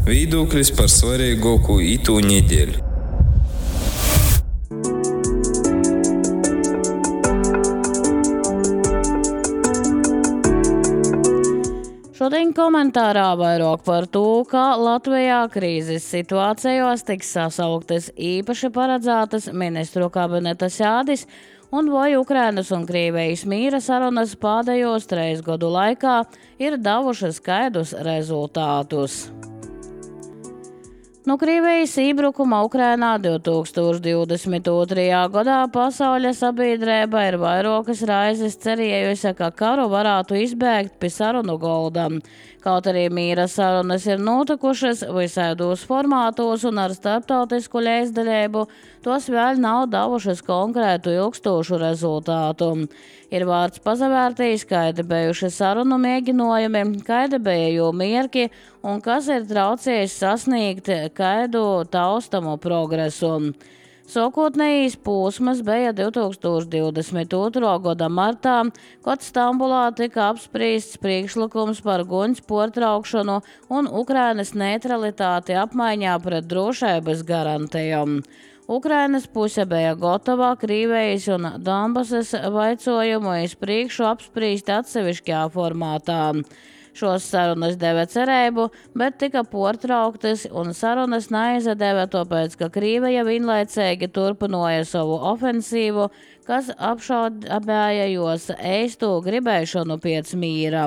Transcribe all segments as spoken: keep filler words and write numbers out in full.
Viedoklis par svarīgāko itū nedēļu. Šodien komentārā vairāk par to, kā Latvijā krīzes situācijās tiks sasauktas īpaši paredzētas ministru kabineta sēdes un vai Ukrainas un Krievijas mīra sarunas pēdējos trīs gadu laikā ir devušas skaidrus rezultātus. No Krievijas iebrukuma Ukrainā divtūkstoš divdesmit otrajā gadā pasaules sabiedrība ir vairākas raizes cerējusi, ka karu varētu izbēgt pie sarunu golda. Kaut arī mīra sarunas ir notikušas visādos formātos un ar starptautisku līdzdalību, tos vēl nav devušas konkrētu ilgstošu rezultātu. Ir vārds pazavērtīs, kādi bijuši sarunu mēģinojumi, kādi bija jū mierki un kas ir traucējis sasniegt kādu taustamu progresu. Sākotnējais posms bija divtūkstoš divdesmit otrā gada martā, kad Stambulā tika apspriests priekšlikums par guņas pārtraukšanu un Ukrainas neutralitāti apmaiņā pret drošības garantijām. Ukrainas puse bija gatava Krievijas un Donbasas vaicojumu iz priekšu apspriest atsevišķā formātā. Šos sarunas deva cerību, bet tika pārtrauktas un sarunas neizdeva, tāpēc, ka Krievija vienlaicīgi turpināja savu ofensīvu, kas apšaubīja jos īsto gribēšanu pēc mīra.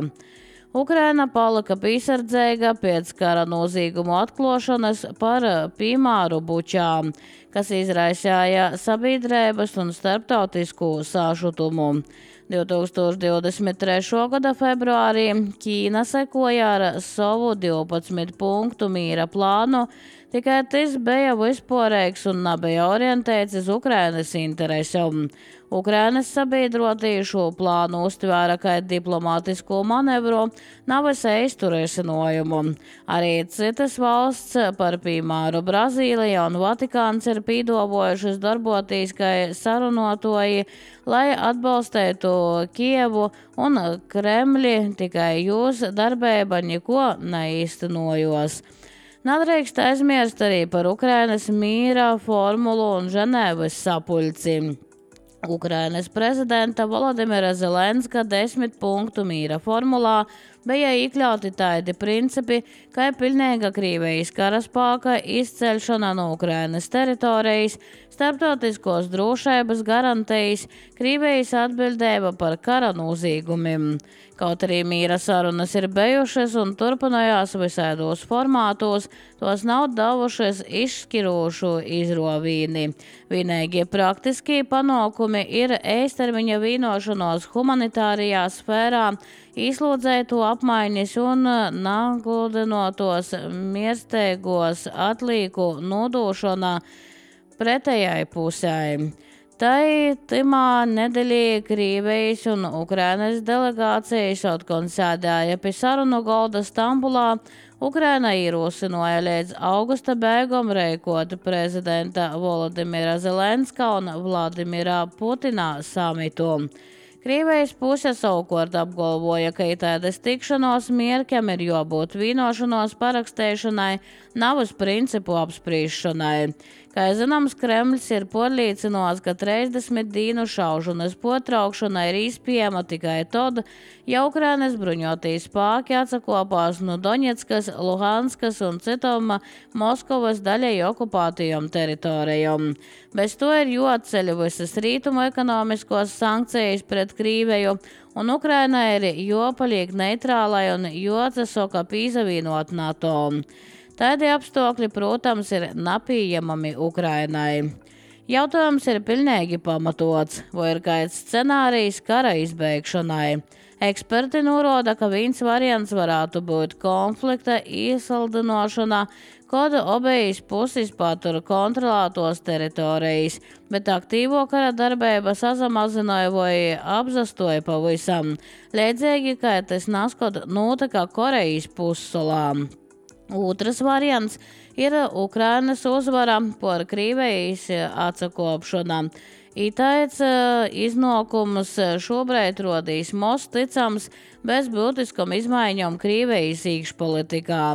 Ukraina palika piesardzīga pēc kara noziegumu atklāšanas par piemēru Bučā, kas izraisīja sabiedrības un starptautisku sašutumu. divtūkstoš divdesmit trešā gada februārī Ķīna sekoja ar savu divpadsmit punktu mīra plānu, tikai tas bija vispārīgs un nebija orientēts uz Ukrainas interesēm. Ukrainas sabiedrotie šo plānu uztvēra kā diplomātisko manevru, nevis īstu risinājumu. Arī citas valsts, par piemēru Brazīlija un Vatikāns, ir pīdavojušas darboties kā sarunotoji, lai atbalstītu Kievu un Kremli, tikai jūs darbība neko neīstenojos. Nedrīkst aizmirst arī par Ukrainas mīra formulu un Ženēvas sapulci. Ukrainas prezidenta Volodimira Zelenska desmit punktu mīra formulā bija iekļauti tādi principi, kā pilnīga Krievijas karaspēka izceļšana no Ukrainas teritorijas, starptautiskos drošības garantijas, Krievijas atbildība par kara noziegumiem. Kaut arī mīra sarunas ir bijušas un turpinājās visādos formātos, tos nav devušas izšķirošu izrovīni. Vienīgie praktiskie panākumi ir īstermiņa vienošanos humanitārijā sfērā, izlūdzētu apmaiņas un nagludinotos miersteigos atlīku nodošanā pretējai pusē. Tai timā nedēļā Krievijas un Ukrainas delegācijas atkal sēdēja pie sarunu golda Stambulā. Ukraina ierosināja līdz augusta beigām rīkot prezidenta Volodimira Zelenska un Vladimira Putina samitu. Krievijas puse savukārt apgalvoja, ka tādas tikšanos mierkiem ir jābūt vienošanos parakstīšanai, nav uz principu apspriešanai. Kā zināms, Kremlis ir pārliecināts, ka trīsdesmit dienu šaušanas pārtraukšana ir iespējama tikai tad, ja Ukrainas bruņotie spēki atsakopās no Doņetskas, Luhanskas un citām Moskavas daļai okupētajām teritorijām. Bez to ir jāatceļ visas rītumu ekonomiskos sankcijas pret Krieviju, un Ukrainai ir jāpaliek neitrālai un jāatsaka pīzavienot NATO. Tādi apstākļi, protams, ir nepieejami Ukrainai. Jautājums ir pilnīgi pamatots, vai ir kāds scenārijs kara izbeigšanai. Eksperti norāda, ka viens variants varētu būt konflikta iesaldinošana, kad abas puses patur kontrolētos teritorijas, bet aktīvo kara darbība sazamazināja vai apzastoja pavisam, līdzīgi kā tas nāskot notika Korejas pussalā. Otrs variants ir Ukrainas uzvara par Krievijas atsakopšanu. Itāits iznākums šobrīd rodīs most ticams bez būtiskām izmaiņām Krievijas iekšpolitikā.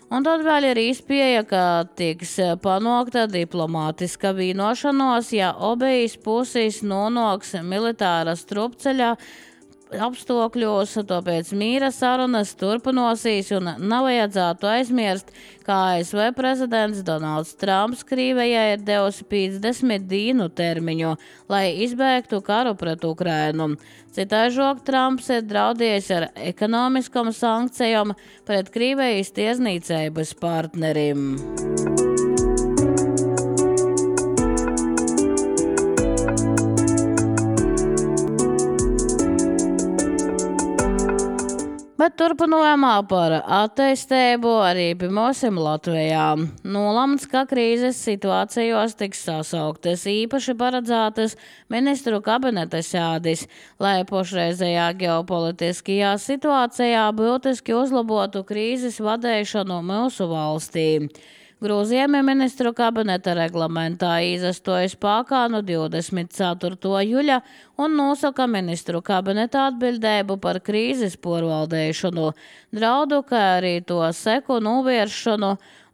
Un tad vēl ir izpieja, ka tiks panākta diplomātiska vienošanos, ja obejas puses nonāks militāra strupceļa apstākļos, tāpēc mīra sarunas turpinosies un nav vajadzētu aizmirst, ka A S V prezidents Donalds Trumps Krievijai ir devusi piecdesmit dienu termiņu, lai izbēgtu karu pret Ukrainu. Citaižok Trumps ir draudējis ar ekonomiskām sankcijām pret Krievijas tiesniecības partnerim. Bet turpinājumā par attīstību arī pirmosim Latvijā. Nolēmts, ka krīzes situācijos tiks sasauktas īpaši paredzētas ministru kabineta sēdes, lai pašreizējā ģeopolitiskajā situācijā būtiski uzlabotu krīzes vadīšanu mūsu valstī. Grozījumi ministru kabineta reglamentā izastojas spēkā no divdesmit ceturtā jūļa un nosaka ministru kabineta atbildību par krīzes pārvaldīšanu, draudu, kā arī to seku novēršanu,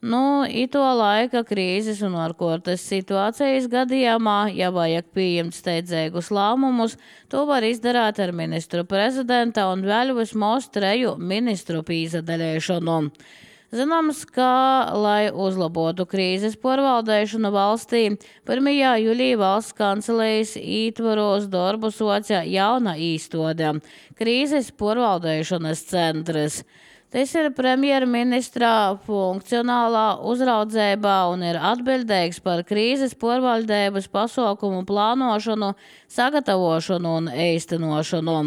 nu, ito laika krīzes un ārkārtas situācijas gadījumā, ja vajag pieņemt steidzīgus lēmumus, to var izdarīt ar ministru prezidenta un vēl vismaz treju ministru pīzadaļēšanu. Zināms, ka, lai uzlabotu krīzes pārvaldīšanu valstī, pirmajā jūlijā valsts kancelejas ietvaros darbu soca jauna īstode – krīzes pārvaldīšanas centrs. Tas ir premjerministrā funkcionālā uzraudzībā un ir atbildīgs par krīzes pārvaldības pasākumu plānošanu, sagatavošanu un īstenošanu.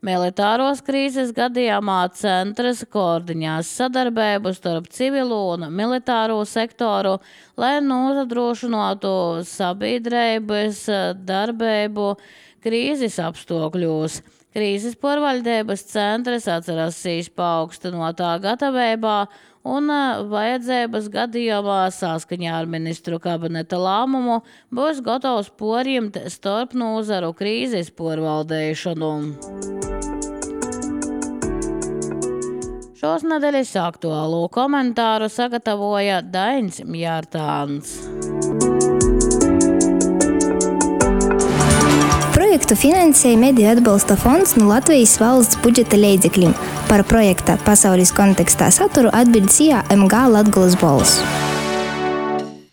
Militāros krīzes gadījumā centrs koordinās sadarbību starp civilo un militāro sektoru, lai nodrošinātu sabiedrības darbību krīzes apstākļos. Krīzes pārvaldības centrs atcerasīs paaugstinotā gatavībā un vajadzības gadījumā saskaņā ar ministru kabineta lēmumu būs gatavs porjimt starp nozaru krīzes pārvaldīšanu. Šos nedēļas aktuālo komentāru sagatavoja Dainis Mjārtāns. Projektu finansēja Mediju atbalsta fonds no Latvijas valsts budžeta līdzekļiem. Par projekta pasaules kontekstā saturu atbild S I A M G Latgolas balss.